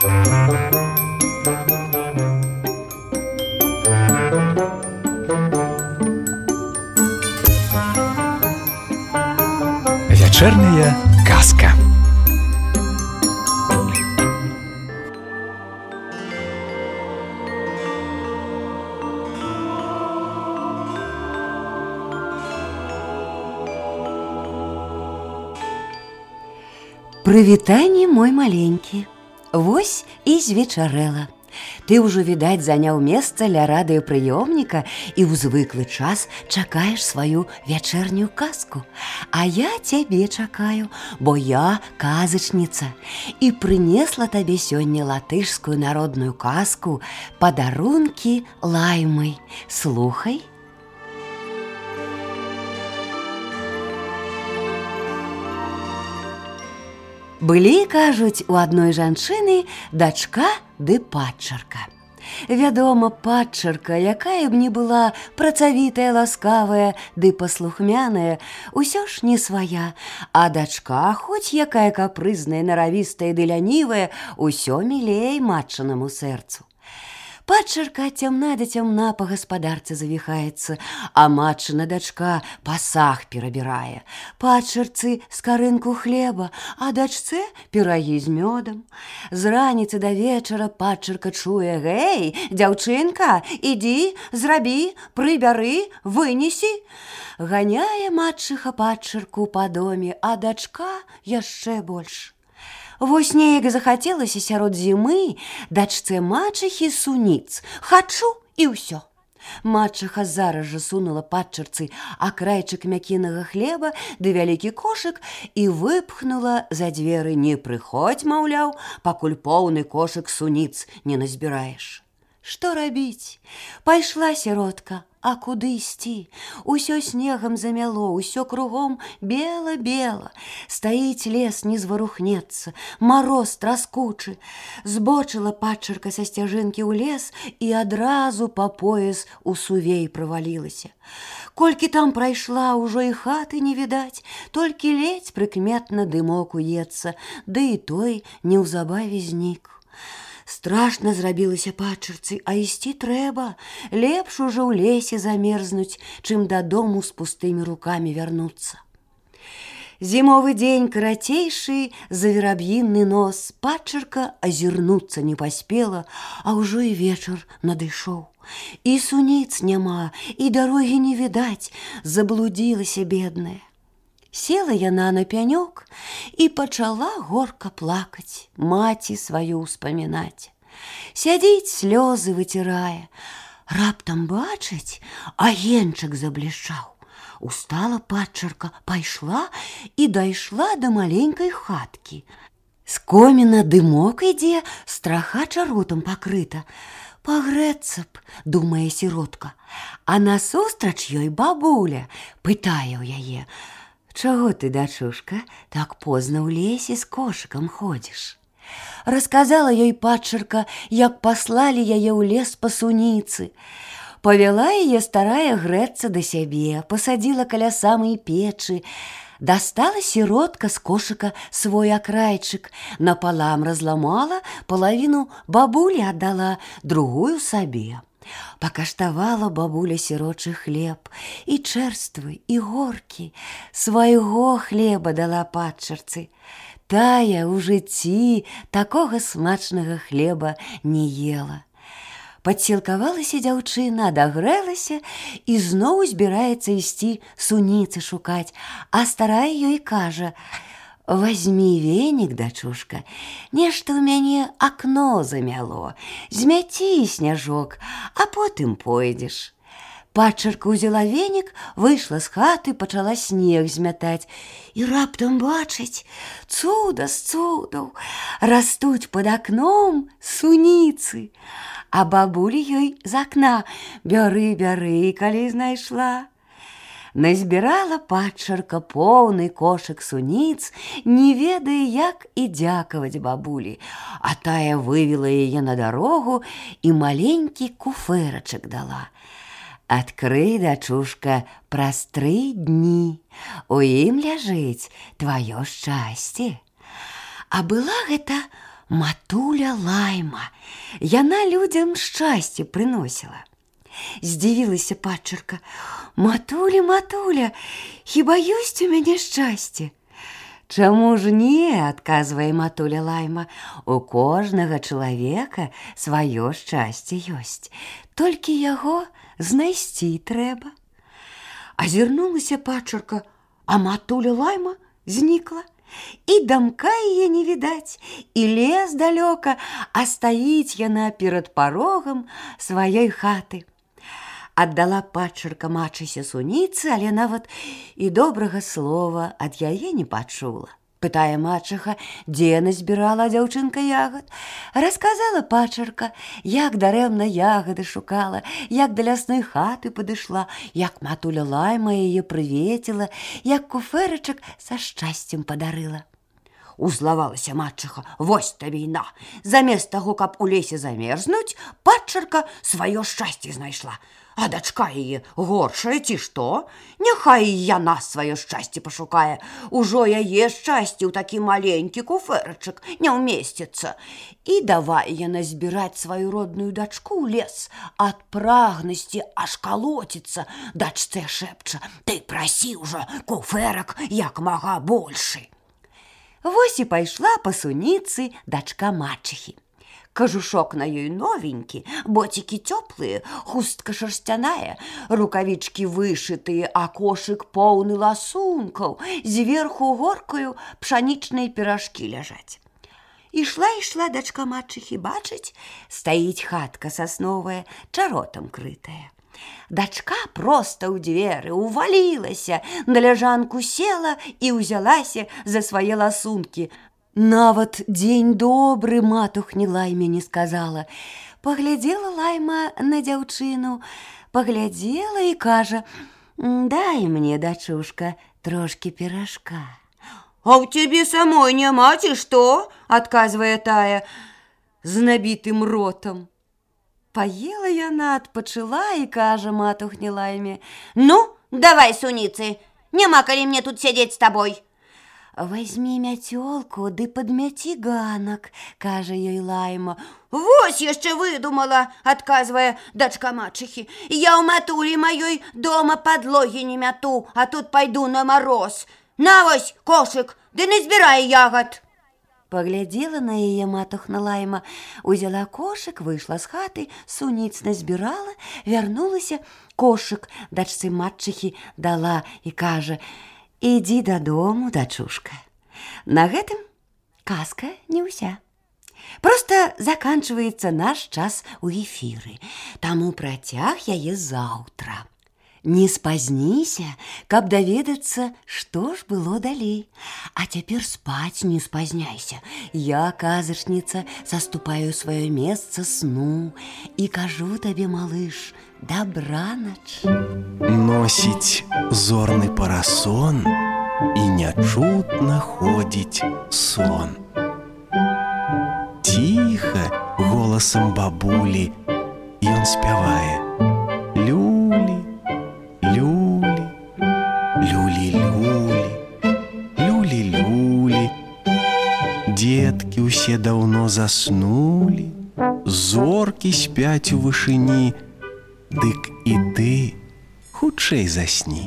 Вячэрняя казка. Прывітанне, мой маленькі. Вось і звечарэла. Ты ўжо, відаць, заняў месца ля радыёпрыёмніка і ў звыклы час чакаеш сваю вячэрнюю казку. А я цябе чакаю, бо я казачніца і прынесла табе сёння латышскую народную казку «Падарункі лаймы». Слухай. Былі, кажуць, у адной жанчыны дачка ды падчарка. Вядома, падчарка, якая б ні была працавітая, ласкавая ды паслухмяная, усё ж не свая, а дачка, хоць якая капрызная, наравістая ды лянівая, усё мілей матчынаму сэрцу. Падчарка цямна да цямна па гаспадарцы завіхаецца, а матчына дачка пасаг перабірае. Падчарцы скарынку хлеба, а дачцэ пірагі з мёдам. З раніцы да вечара падчарка чуе: «Гэй, дзяўчынка, ідзі, зрабі, прыбяры, вынесі». Ганяе матчыха падчарку па доме, а дачка яшчэ больш. Вось неяк захацелася сярод зімы дачцэ мачыхі суніц. Хачу і ўсё. Мачыха зараз жа сунула падчарцы акрайчык мякінага хлеба ды вялікі кошык і выпхнула за дзверы: «Не прыходзь, маўляў, пакуль поўны кошык суніц не назбіраеш». Што рабіць? Пайшла сіротка, а куды ісці? Усё снегам замяло, усё кругом бела-бела. Стаіць лес, не зварухнецца, мароз траскучы. Збочыла падчарка са сцяжынкі ў лес і адразу па пояс у сувей правалілася. Колькі там прайшла, ужо і хаты не відаць, толькі ледзь прыкметна дымок уецца, ды і той неўзабаве знік. Страшна зрабілася падчарцы, а ісці трэба. Лепш ужо ў лесе замерзнуць, чым дадому з пустымі рукамі вярнуцца. Зімовы дзень карацейшы за вераб'іны нос. Падчарка азірнуцца не паспела, а ўжо і вечар надышоў. І суніц няма, і дарогі не відаць, заблудзілася бедная. Села яна на пянёк і пачала горка плакаць, маці сваю ўспамінаць. Сядзіць, слёзы выцірае. Раптам бачыць, агеньчык заблішчаў. Устала падчарка, пайшла і дайшла да маленькай хаткі. З коміна дымок ідзе, страха чаротам пакрыта. Пагрэцца б, думае сіротка. А насустрач ёй бабуля пытае ў яе: «Чаго ты, дачушка, так позна ў лесе з кошыкам ходзіш?» Расказала ёй падчарка, як паслалі яе ў лес па суніцы. Павяла яе старая грэцца да сябе, пасадзіла каля самай печы. Дастала сіротка з кошыка свой акрайчык, напалам разламала, палавіну бабулі аддала, другую сабе. Пакаштавала бабуля сірочы хлеб, і чэрствы, і горкі. Свайго хлеба дала падчарцы. Тая ў жыцці такога смачнага хлеба не ела. Падсілкавалася дзяўчына, адагрэлася і зноў збіраецца ісці суніцы шукаць, а старая ёй кажа: «Вазьмі венік, дачушка, нешта ў мяне акно замяло, змяці сняжок, а потым пойдзеш». Падчарка ўзяла венік, выйшла з хаты, пачала снег змятаць. І раптам бачыць, цуда з цудаў, растуць пад акном суніцы. А бабуля ёй з акна: «Бяры, бяры, калі знайшла». Назбірала падчарка поўны кошык суніц, не ведае, як і дзякаваць бабулі, а тая вывела яе на дарогу і маленькі куфэрачак дала. «Адкрый, дачушка, праз 3 дні, у ім ляжыць тваё шчасце». А была гэта матуля Лайма. Яна людзям шчасце прыносіла. Здзівілася падчарка. Матуля, матуля, хіба ёсць у мяне шчасце? Чаму ж не, адказвае матуля Лайма. У кожнага чалавека сваё шчасце ёсць. Толькі яго знайсці трэба. Азірнулася падчарка, а матуля Лайма знікла. І дамка яе не відаць, і лес далёка, а стаіць яна перад парогам сваёй хаты. Аддала падчарка мачысе суніцы, але нават і добрага слова ад яе не пачула. Пытае мачыха, дзе назбірала дзяўчынка ягад. Расказала падчарка, як дарэмна ягады шукала, як да лясной хаты падышла, як матуля Лайма яе прывеціла, як куфэрачак са шчасцем падарыла. Узлавалася мачыха, вось табе і на. Замест таго, каб у лесе замерзнуць, падчарка сваё шчасце знайшла. А дачка яе горшая ці што? Няхай яна сваё шчасце пашукае. Ужо яе шчасце ў такі маленькі куфэрачак не ўмесціцца. І давай яна збіраць сваю родную дачку ў лес. Ад прагнасці аж калоціцца. Дачцэ шэпча, ты прасі ўжо куфэрак як мага большы. Вось і пайшла па суніцы дачка мачыхі. Кажушок на ёй новенькі, боцікі цёплыя, хустка шарсцяная, рукавічкі вышытыя, а кошык поўны ласункаў, зверху горкаю пшанічныя піражкі ляжаць. Ішла дачка мачыхі, бачыць, стаіць хатка сасновая, чаротам крытая. Дачка проста ў дзверы увалілася, на ляжанку села і ўзялася за свае ласункі. Нават дзень добры матухні Лайме не сказала. Паглядзела Лайма на дзяўчыну, паглядзела і кажа: «Дай мне, дачушка, трошкі піражка». «А ў цябе самой няма, ці што?» – адказвае тая з набітым ротам. Паела яна, адпачыла і кажа матухні Лайме: «Ну, давай, суніцы, няма калі мне тут сядзець з табой». «Возьми мяцёлку ды падмяці ганак», – кажа ёй Лайма. «Вось яшчэ выдумала», – адказвае дачка мачыхі. «Я ў матулі маёй дома падлогі не мяту, а тут пайду на мароз. На вось кошык, ды назбірай ягад». Паглядзела на яе матухна Лайма, узяла кошык, выйшла з хаты, суніц назбірала, вярнулася, кошык дачцы мачыхі дала і кажа: «Ідзі дадому, дачушка». На гэтым казка не ўся. Проста заканчваецца наш час у эфіры, таму працяг яе заўтра. Не спазніся, каб даведацца, што ж было далей. А цяпер спаць не спазняйся. Я, казачніца, заступаю сваё месца сну і кажу табе, малыш, дабранач. Носіць зорны парасон і нячутна ходзіць сон. Ціха голасам бабулі ён спявае: люлі, люлі, люлі-люлі, люлі-люлі. Дзеткі ўсе даўно заснулі, зоркі спяць у вышыні, дык і ты хутчэй засні.